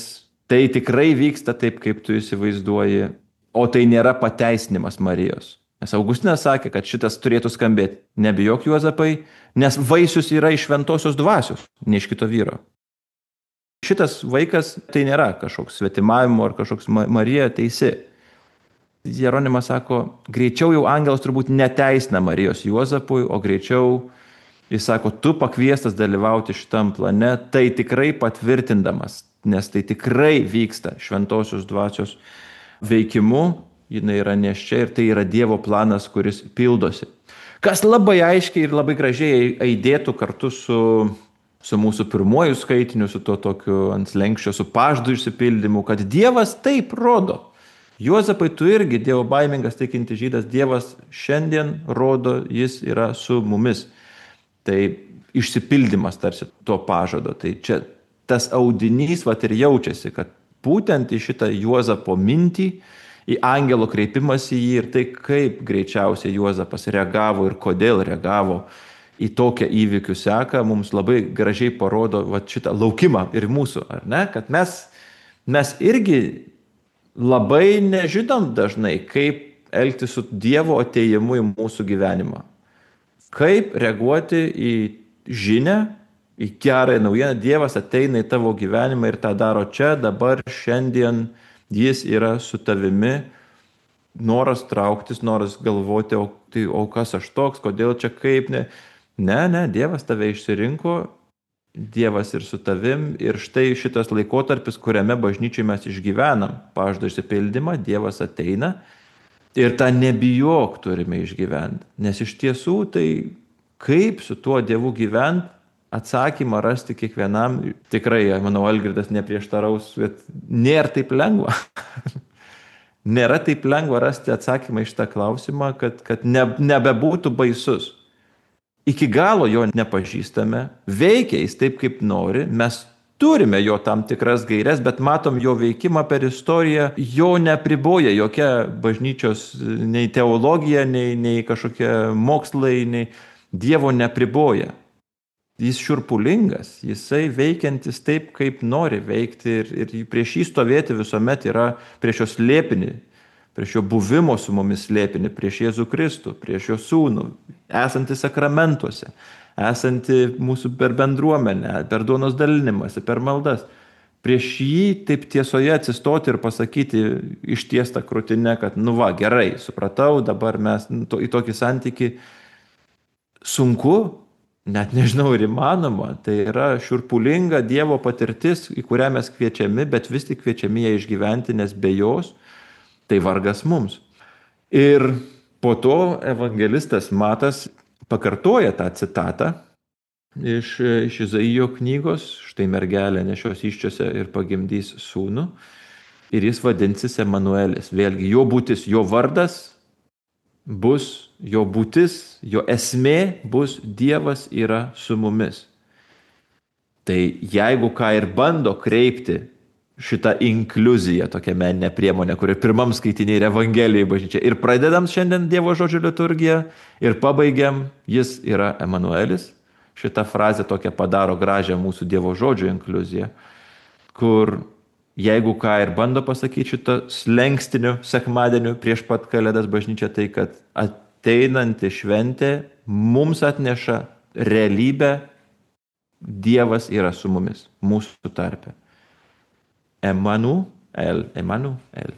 tai tikrai vyksta taip, kaip tu įsivaizduoji, o tai nėra pateisinimas Marijos. Nes Augustinas sakė, kad šitas turėtų skambėti, nebijok Juozapai, nes vaisius yra iš šventosios dvasios, ne iš kito vyro. Šitas vaikas tai nėra kažkoks svetimavimo ar kažkoks Marija teisi. Jeronimas sako, greičiau jau angelas turbūt neteisina Marijos Juozapui, o greičiau jis sako, tu pakviestas dalyvauti šitam plane, tai tikrai patvirtindamas, nes tai tikrai vyksta šventosios dvasios veikimu, jinai yra neščia ir tai yra Dievo planas, kuris pildosi. Kas labai aiškiai ir labai gražiai aidėtų kartu su, su mūsų pirmuoju skaitiniu, su to tokiu ant slenkščio, su pažadų išsipildymu, kad Dievas taip rodo. Juozapai, tu irgi Dievo baimingas tikinti žydas, Dievas šiandien rodo, jis yra su mumis. Tai išsipildymas tarsi to pažado. Tai čia tas audinys vat ir jaučiasi, kad būtent į šitą Juozapo mintį, į angelo kreipimąsi į jį ir tai, kaip greičiausiai Juozapas reagavo ir kodėl reagavo į tokią įvykių seką, mums labai gražiai parodo vat šitą laukimą ir mūsų, ar ne? Kad mes, mes irgi labai nežinom dažnai, kaip elgtis su Dievo atėjimu į mūsų gyvenimą. Kaip reaguoti į žinią, į gerąją naujieną. Dievas ateina į tavo gyvenimą ir tą daro čia, dabar, šiandien. Jis yra su tavimi, noras trauktis, noras galvoti, o, tai, o kas aš toks, kodėl čia kaip, ne. Ne, ne, Dievas tave išsirinko, Dievas ir su tavim. Ir štai šitas laikotarpis, kuriame bažnyčiai mes išgyvenam pažado išsipildymą, Dievas ateina ir tą nebijok turime išgyventi. Nes iš tiesų tai kaip su tuo Dievu gyventi, atsakymą rasti kiekvienam, tikrai, manau, Algirdas neprieštaraus, bet nėra taip lengva. Nėra taip lengva rasti atsakymą iš tą klausimą, kad, kad ne, nebebūtų baisus. Iki galo jo nepažįstame, veikia jis taip, kaip nori, mes turime jo tam tikras gaires, bet matom jo veikimą per istoriją, jo nepriboja jokia bažnyčios nei teologija, nei, nei kažkokie mokslai, nei Dievo nepriboja. Jis šiurpulingas, jisai veikiantis taip, kaip nori veikti ir, ir prieš jį stovėti visuomet yra prieš jo slėpinį, prieš jo buvimo su mumis slėpinį, prieš Jėzų Kristų, prieš jo sūnų, esantį sakramentuose, esantį mūsų per bendruomenę, per duonos dalinimąsi, per maldas. prieš jį taip tiesoje atsistoti ir pasakyti ištiestą krūtinę, kad nu va, gerai, supratau, dabar mes nu, to, į tokį santykį sunku, net nežinau ir įmanoma, tai yra šiurpulinga Dievo patirtis, į kurią mes kviečiami, bet vis tik kviečiami ją išgyventi, nes be jos tai vargas mums. Ir po to evangelistas Matas pakartoja tą citatą iš, iš Izaijo knygos, štai mergelė nešios įsčiose ir pagimdys sūnų, ir jis vadinsis Emanuelis. Vėlgi, jo būtis, jo vardas bus, jo būtis, jo esmė bus Dievas yra su mumis. Tai jeigu ką ir bando kreipti šitą inkliuziją, tokią meninę priemonę, kuri pirmam skaitinė ir Evangelijai bažnyčia, ir pradedam šiandien Dievo žodžio liturgiją, ir pabaigiam, jis yra Emanuelis. Šitą frazę tokią padaro gražią mūsų Dievo žodžio inkliuziją, kur jeigu ką ir bando pasakyti šitą slenkstiniu sekmadieniu prieš pat Kalėdas bažnyčia, tai kad ateinanti šventė mums atneša realybę, Dievas yra su mumis, mūsų tarpe. Emanuel, Emanuel.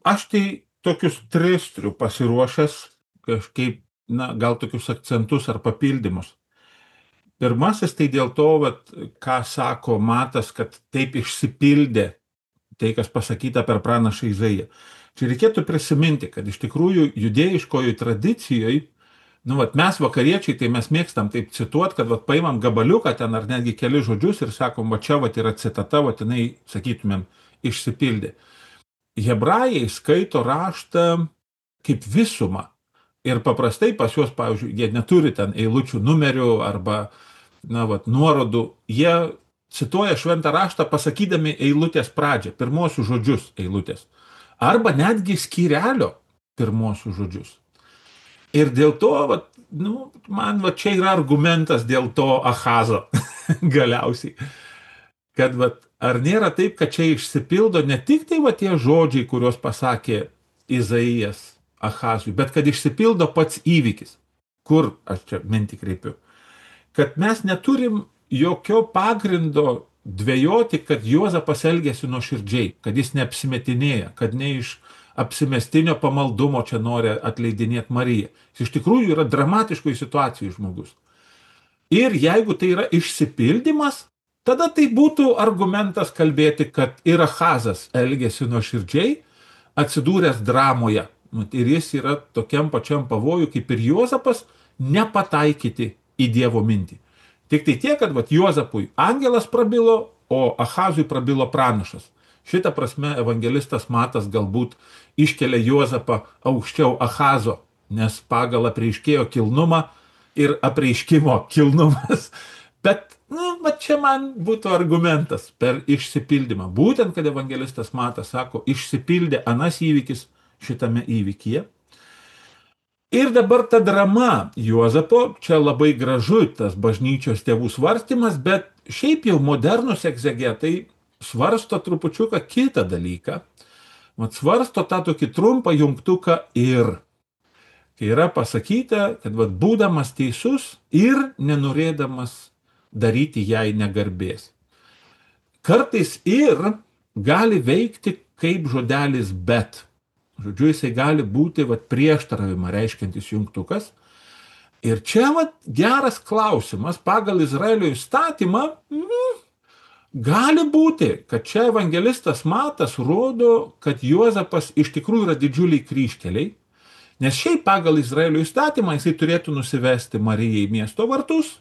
Aš tai tokius tris turiu pasiruošęs, kažkaip, na, gal tokius akcentus ar papildymus. Pirmasis tai dėl to, vat, ką sako Matas, kad taip išsipildė tai, kas pasakyta per pranašą Izaiją. Čia reikėtų prisiminti, kad iš tikrųjų judėjiškojo tradicijoje, nu, vat, mes vakariečiai, tai mes mėgstam taip cituoti, kad vat, paimam gabaliuką ten ar netgi keli žodžius ir sakom, va čia vat, yra citata, vat, jinai, sakytumėm, išsipildė. Hebrajai skaito raštą kaip visumą. Ir paprastai pas juos, pavyzdžiui, jie neturi ten eilučių numerių arba, na, vat, nuorodų. Jie cituoja šventą raštą pasakydami eilutės pradžią, pirmosius žodžius eilutės. Arba netgi skyrelio pirmosius žodžius. Ir dėl to, vat, nu, man va, čia yra argumentas dėl to Achazo galiausiai. Kad vat, ar nėra taip, kad čia išsipildo ne tik tai va, tie žodžiai, kuriuos pasakė Izaijas Achazui, bet kad išsipildo pats įvykis. Kur aš čia mintį kreipiu? Kad mes neturim jokio pagrindo dvejoti, kad Juozapas elgėsi nuoširdžiai, kad jis neapsimetinėja, kad ne iš apsimestinio pamaldumo čia nori atleidinėti Mariją. Jis iš tikrųjų yra dramatiškoje situacijoje žmogus. Ir jeigu tai yra išsipildymas, tada tai būtų argumentas kalbėti, kad ir Achazas elgėsi nuoširdžiai, atsidūręs dramoje. Ir jis yra tokiam pačiam pavojui, kaip ir Juozapas, nepataikyti į Dievo mintį. Tik tai tiek, kad vat, Juozapui angelas prabilo, o Achazui prabilo pranašas. Šitą prasme evangelistas Matas galbūt iškelia Juozapą aukščiau Achazo, nes pagal apreiškėjo kilnumą ir apreiškimo kilnumas. Bet, nu, va čia man būtų argumentas per išsipildymą. Būtent, kad evangelistas Matas sako, išsipildė anas įvykis šitame įvykyje. Ir dabar ta drama Juozapo, čia labai gražu tas bažnyčios tėvų svarstymas, bet šiaip jau modernus egzegetai svarsto trupučiuką kitą dalyką. Mat svarsto tą tokį trumpą jungtuką ir. Kai yra pasakyta, kad vat, būdamas teisus ir nenorėdamas daryti jai negarbės. Kartais ir gali veikti kaip žodelis bet. Žodžiu, jisai gali būti vat, prieštaravimą reiškiantis jungtukas. Ir čia vat, geras klausimas, pagal Izraelio įstatymą, mm, gali būti, kad čia evangelistas Matas rodo, kad Juozapas iš tikrųjų yra didžiuliai kryžkeliai, nes šiaip pagal Izraelio įstatymą jisai turėtų nusivesti Marijai miesto vartus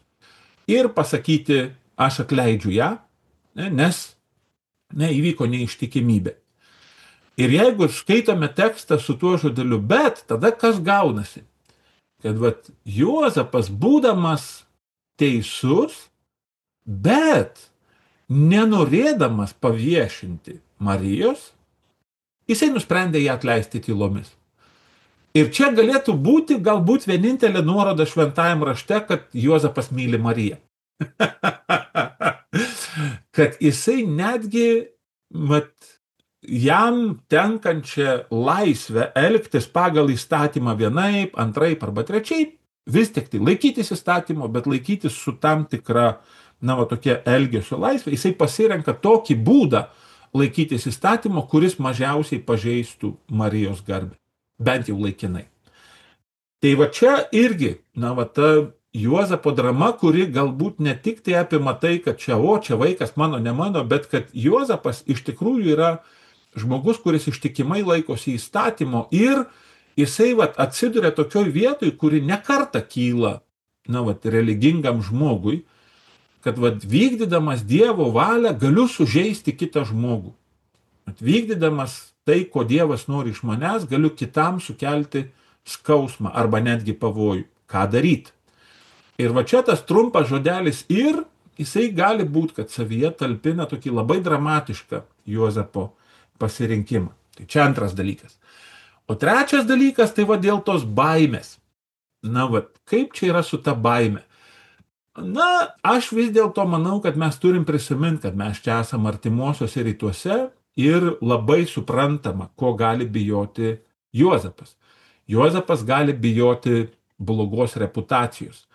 ir pasakyti, aš atleidžiu ją, nes ne, įvyko neištikimybė. Ir jeigu skaitome tekstą su tuo žodeliu bet, tada kas gaunasi? Kad vat, Juozapas būdamas teisus, bet nenorėdamas paviešinti Marijos, jisai nusprendė ją atleisti tylomis. Ir čia galėtų būti galbūt vienintelė nuoroda šventajam rašte, kad Juozapas myli Mariją. Kad jisai netgi mat, jam tenkančią laisvę elgtis pagal įstatymą vienaip, antraip arba trečiaip, vis tik tai laikytis įstatymo, bet laikytis su tam tikra na, va, tokia elgesio laisvė, jisai pasirenka tokį būdą laikytis įstatymo, kuris mažiausiai pažeistų Marijos garbę, bent jau laikinai. Tai va čia irgi, na, va, ta Juozapo drama, kuri galbūt ne tik tai apima tai, kad čia, o, čia vaikas mano, ne mano, bet kad Juozapas iš tikrųjų yra žmogus, kuris ištikimai laikosi įstatymo ir jisai, va, atsiduria tokioj vietoj, kuri nekarta kyla, na, va, religingam žmogui, kad, va, vykdydamas Dievo valią galiu sužeisti kitą žmogų. Vykdydamas tai, ko Dievas nori iš manęs, galiu kitam sukelti skausmą arba netgi pavojų. Ką daryti? Ir va čia tas trumpas žodelis ir jisai gali būti, kad savyje talpina tokį labai dramatišką Juozapo pasirinkimą. Tai čia antras dalykas. O trečias dalykas, tai va dėl tos baimės. Na va, kaip čia yra su ta baime? Na, aš vis dėlto manau, kad mes turim prisiminti, kad mes čia esame artimuosiuose rytuose ir labai suprantama, ko gali bijoti Juozapas. Juozapas gali bijoti blogos reputacijos.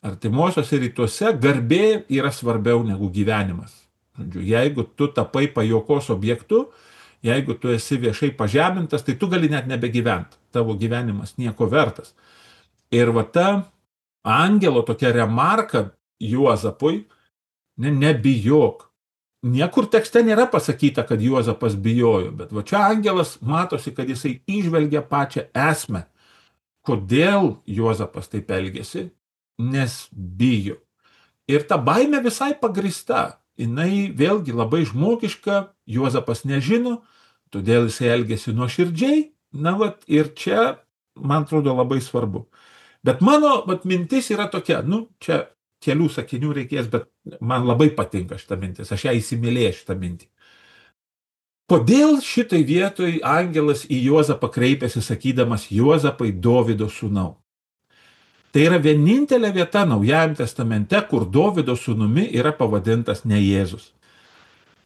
Artimuosiuose rytuose garbė yra svarbiau negu gyvenimas. Jeigu tu tapai pajokos objektu, jeigu tu esi viešai pažemintas, tai tu gali net nebegyventi. Tavo gyvenimas nieko vertas. Ir va ta angelo tokia remarka Juozapui, ne, nebijok. Niekur tekste nėra pasakyta, kad Juozapas bijojo, bet va čia angelas matosi, kad jisai įžvelgia pačią esmę. Kodėl Juozapas taip elgėsi? Nes bijo. Ir ta baimė visai pagrįsta. Jinai vėlgi labai žmogiška, Juozapas nežino, todėl jisai elgėsi nuoširdžiai. Na, vat, ir čia, man atrodo, labai svarbu. Bet mano vat, mintis yra tokia, nu, čia kelių sakinių reikės, bet man labai patinka šitą mintis, aš ją įsimylėjau šitą mintį. Kodėl šitai vietoj angelas į Juozapą kreipėsi sakydamas Juozapai Dovydo sūnau? Tai yra vienintelė vieta Naujajame testamente, kur Dovydo sūnumi yra pavadintas ne Jėzus.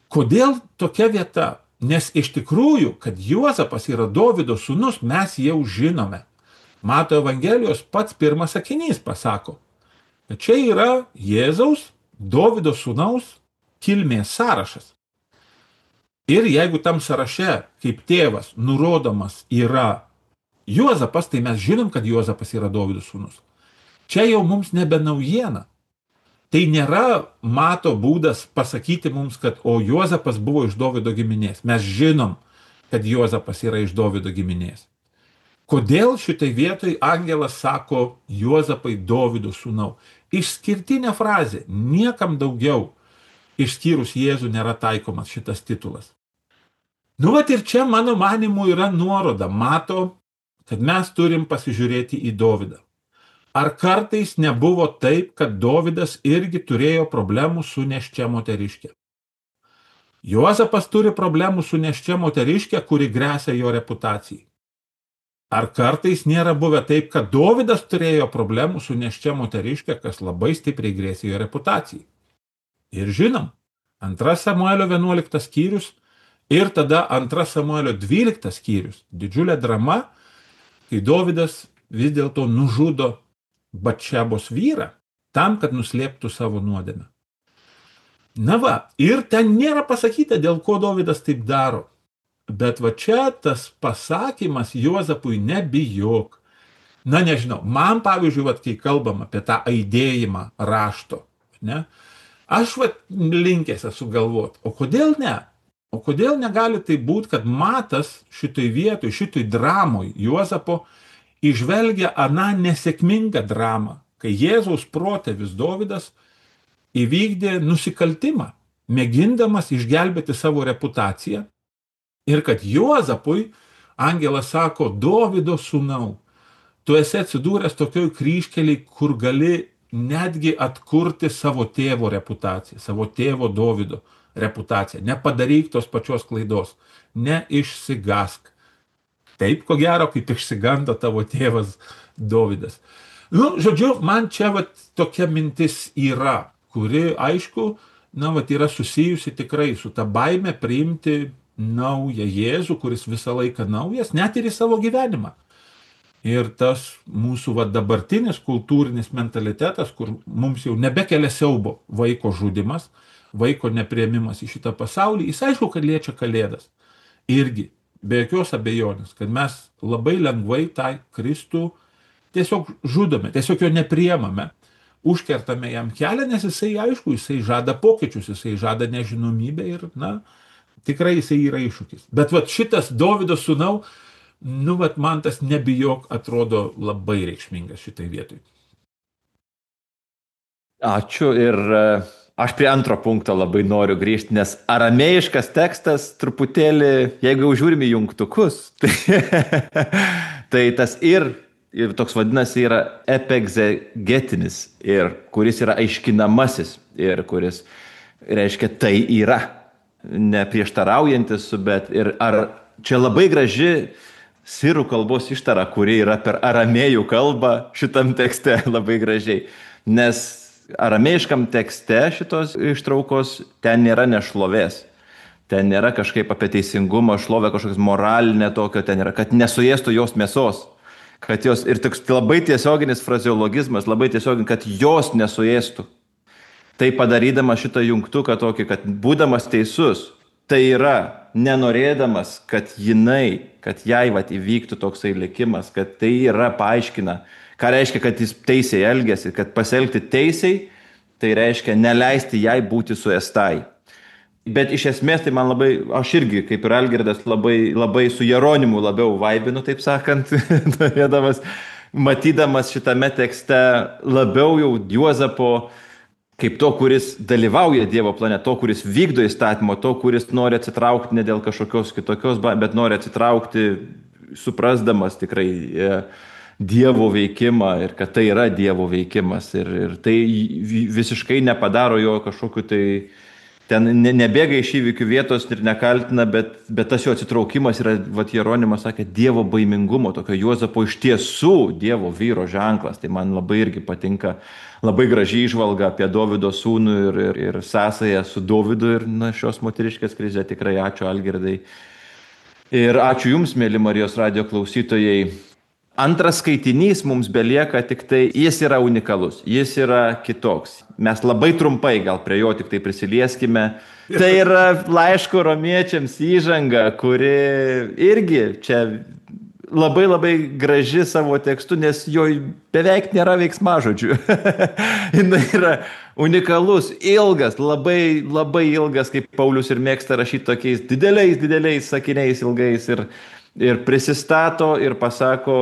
Kodėl tokia vieta? Nes iš tikrųjų, kad Juozapas yra Dovydo sūnus, mes jau žinome. Mato Evangelijos pats pirmas sakinys pasako, kad čia yra Jėzaus, Dovydo sūnaus kilmės sąrašas. Ir jeigu tam sąraše kaip tėvas nurodomas yra Juozapas, tai mes žinom, kad Juozapas yra Dovydo sūnus. Čia jau mums nebe naujiena. Tai nėra Mato būdas pasakyti mums, kad o Juozapas buvo iš Dovydo giminės. Mes žinom, kad Juozapas yra iš Dovydo giminės. Kodėl šitai vietoj angelas sako Juozapai Dovydo sūnau? Išskirtinė frazė, niekam daugiau išskyrus Jėzų nėra taikomas šitas titulas. Nu, vat ir čia mano manimu yra nuoroda, mato, kad mes turim pasižiūrėti į Dovydą. Ar kartais nebuvo taip, kad Dovydas irgi turėjo problemų su nėščia moteriške? Juozapas turi problemų su nėščia moteriške, kuri gresia jo reputacijai. Ar kartais nėra buvę taip, kad Dovydas turėjo problemų su nėščia moteriške, kas labai stipriai grėsė jo reputacijai? Ir žinom, antras Samuelio vienuoliktas skyrius ir tada antras Samuelio dvyliktas skyrius. Didžiulė drama, kai Dovydas vis dėlto nužudo Batšebos vyrą tam, kad nuslėptų savo nuodėmę. Na va, ir ten nėra pasakyta, dėl ko Dovydas taip daro. Bet va čia tas pasakymas Juozapui nebijok. Na nežinau, man pavyzdžiui, va, kai kalbam apie tą aidėjimą rašto, ne, aš va linkęs esu galvot, o kodėl ne? O kodėl negali tai būti, kad Matas šitoj vietoj, šitoj dramoj Juozapo įžvelgia aną nesėkmingą dramą, kai Jėzaus protėvis Dovydas įvykdė nusikaltimą, mėgindamas išgelbėti savo reputaciją, ir kad Juozapui angelas sako, Dovydo sūnau, tu esi atsidūręs tokioj kryžkelėj, kur gali netgi atkurti savo tėvo reputaciją, savo tėvo Dovydo reputaciją. Nepadaryk tos pačios klaidos, neišsigask. Taip, ko gero, kaip išsigando tavo tėvas Dovydas. Nu, žodžiu, man čia vat, tokia mintis yra, kuri, aišku, na, vat, yra susijusi tikrai su ta baime priimti naują Jėzų, kuris visą laiką naujas, net ir į savo gyvenimą. Ir tas mūsų va, dabartinis kultūrinis mentalitetas, kur mums jau nebekelia siaubo vaiko žudimas, vaiko nepriėmimas į šitą pasaulį, jis aišku, kad liečia kalėdas. Irgi, be jokios abejonės, kad mes labai lengvai tą Kristų tiesiog žudome, tiesiog jo nepriemame, užkertame jam kelią, nes jisai, aišku, jisai žada pokyčius, jisai žada nežinomybę ir, na, tikrai jisai yra iššūkis. Bet vat šitas Dovydo sūnau, nu, vat man tas nebijok atrodo labai reikšmingas šitai vietoj. Ačiū ir aš prie antro punkto labai noriu grįžti, nes aramėjiškas tekstas truputėlį, jeigu jau žiūrime jungtukus, tai, tai tas ir, ir toks vadinasi yra epegzegetinis, ir kuris yra aiškinamasis, ir kuris reiškia tai yra, neprieštaraujantis, bet ir ar čia labai graži sirų kalbos ištara, kuri yra per aramėjų kalbą šitam tekste labai gražiai. Nes aramėjiškam tekste šitos ištraukos ten nėra nešlovės. Ten nėra kažkaip apie teisingumą, šlovę, kažkoks moralinė tokio, ten yra, kad nesuėstų jos mėsos. Kad jos, ir toks labai tiesioginis frazeologizmas, labai tiesioginis, kad jos nesuėstų. Tai padarydama šitą jungtuką tokį, kad būdamas teisus, tai yra nenorėdamas, kad jinai, kad jai vat įvyktų toksai likimas, kad tai yra paaiškina, ką reiškia, kad jis teisiai elgiasi, kad pasielgti teisiai, tai reiškia neleisti jai būti suėstai. Bet iš esmės tai man labai, aš irgi, kaip ir Algirdas, labai, labai su Jeronimu labiau vaibinu, taip sakant, norėdamas, matydamas šitame tekste labiau jau Juozapo, kaip to, kuris dalyvauja Dievo plane, to, kuris vykdo įstatymą, to, kuris nori atsitraukti ne dėl kažkokios kitokios, bet nori atsitraukti, suprasdamas tikrai Dievo veikimą ir kad tai yra Dievo veikimas. Ir, ir tai visiškai nepadaro jo kažkokiu tai, ten ne, nebėga iš įvykių vietos ir nekaltina, bet, bet tas jo atsitraukimas yra, vat Jeronimas sakė, Dievo baimingumo, tokio Juozapo iš tiesų Dievo vyro ženklas. Tai man labai irgi patinka. Labai gražiai įžvalga apie Dovydo sūnų ir, ir, ir sąsąją su Dovydu ir na, šios moteriškės krizė. Tikrai ačiū Algirdai. Ir ačiū Jums, mėly Marijos radijo klausytojai. Antras skaitinys mums belieka tik tai, jis yra unikalus, jis yra kitoks. Mes labai trumpai gal prie jo tik tai prisilieskime. Tai yra laiško romiečiams įžanga, kuri irgi čia labai labai graži savo tekstu, nes jo beveik nėra veiksmažodžių. Jis yra unikalus, ilgas, labai labai ilgas, kaip Paulius ir mėgsta rašyti tokiais dideliais, dideliais sakiniais ilgais ir, ir prisistato ir pasako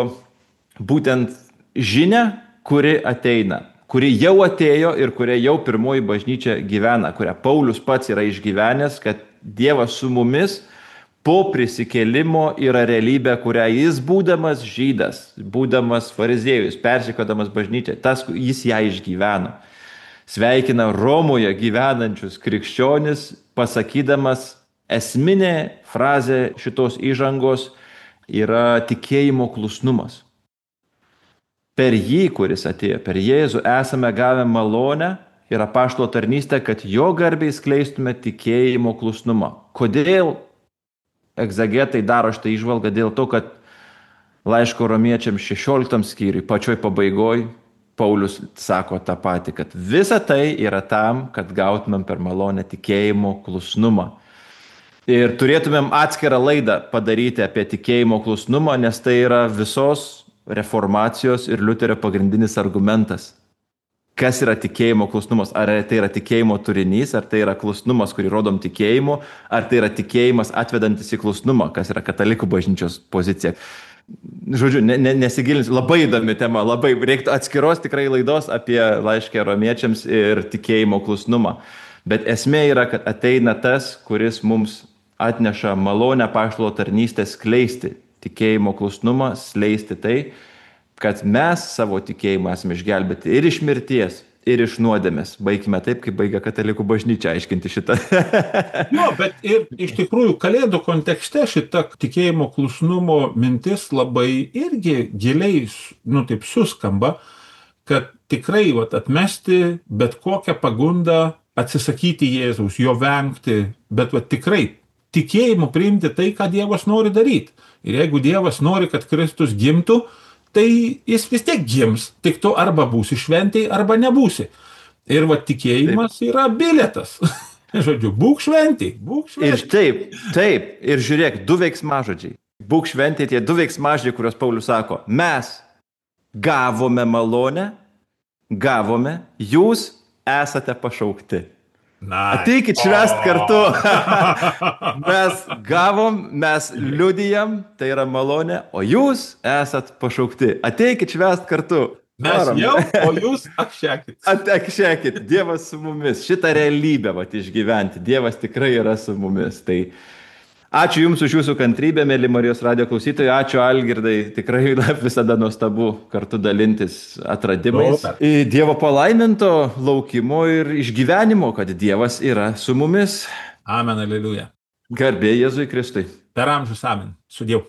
būtent žinią, kuri ateina, kuri jau atėjo ir kuria jau pirmoji bažnyčia gyvena, kurią Paulius pats yra išgyvenęs, kad Dievas su mumis po prisikėlimo yra realybė, kurią jis būdamas žydas, būdamas fariziejus, persekiodamas bažnyčią, tas jis ją išgyveno. Sveikina Romoje gyvenančius krikščionis, pasakydamas esminė frazė šitos įžangos yra tikėjimo klusnumas. Per jį, kuris atėjo, per Jėzų esame gavę malonę ir apaštalo tarnystę, kad jo garbiai skleistume tikėjimo klusnumą. Kodėl egzegetai daro šitą įžvalgą? Dėl to, kad laiško romiečiams šešioliktam skyriui, pačioj pabaigoj, Paulius sako tą patį, kad visa tai yra tam, kad gautumėm per malonę tikėjimo klusnumą. Ir turėtumėm atskirą laidą padaryti apie tikėjimo klusnumą, nes tai yra visos reformacijos ir Liuterio pagrindinis argumentas. Kas yra tikėjimo klusnumas? Ar tai yra tikėjimo turinys, ar tai yra klusnumas, kurį rodom tikėjimu, ar tai yra tikėjimas atvedantis į klusnumą, kas yra katalikų bažnyčios pozicija. Žodžiu, ne, ne, nesigilinsiu, labai įdomi tema, labai reiktų atskiros tikrai laidos apie laišką romiečiams ir tikėjimo klusnumą. Bet esmė yra, kad ateina tas, kuris mums atneša malonę apaštalo tarnystę skleisti tikėjimo klusnumą, skleisti tai, kad mes savo tikėjimą esame išgelbėti ir iš mirties, ir iš nuodėmės. Baigime taip, kaip baigia katalikų bažnyčia aiškinti šitą. Jo, bet ir iš tikrųjų kalėdų kontekste šita tikėjimo klusnumo mintis labai irgi giliai, nu taip suskamba, kad tikrai vat, atmesti bet kokią pagundą, atsisakyti Jėzaus, jo vengti, bet vat, tikrai tikėjimu priimti tai, ką Dievas nori daryti. Ir jeigu Dievas nori, kad Kristus gimtų, tai jis vis tiek gims, tik tu arba būsi šventėj, arba nebūsi. Ir va tikėjimas taip. Yra bilietas. Žodžiu, būk šventėj, būk šventėj. Ir taip, taip, ir žiūrėk, du veiksmažodžiai. Būk šventėj, tie du veiksmažodžiai, kuriuos Paulius sako. Mes gavome malonę, gavome, jūs esate pašaukti. Nice. Ateikit švęst kartu. Mes gavom, mes liudijam, tai yra malonė, o jūs esat pašaukti. Ateikit švęst kartu. Mes Varom. Jau, o jūs akšekit. Akšekit, Dievas su mumis. Šitą realybę vat, išgyventi. Dievas tikrai yra su mumis. Tai ačiū Jums už Jūsų kantrybę, mėly Marijos radijo klausytojai. Ačiū Algirdai. Tikrai visada nuostabu kartu dalintis atradimais. O, Dievo palaiminto laukimo ir išgyvenimo, kad Dievas yra su mumis. Amen, aleluja. Garbė Jėzui Kristui. Per amžius amen. Su Dievu.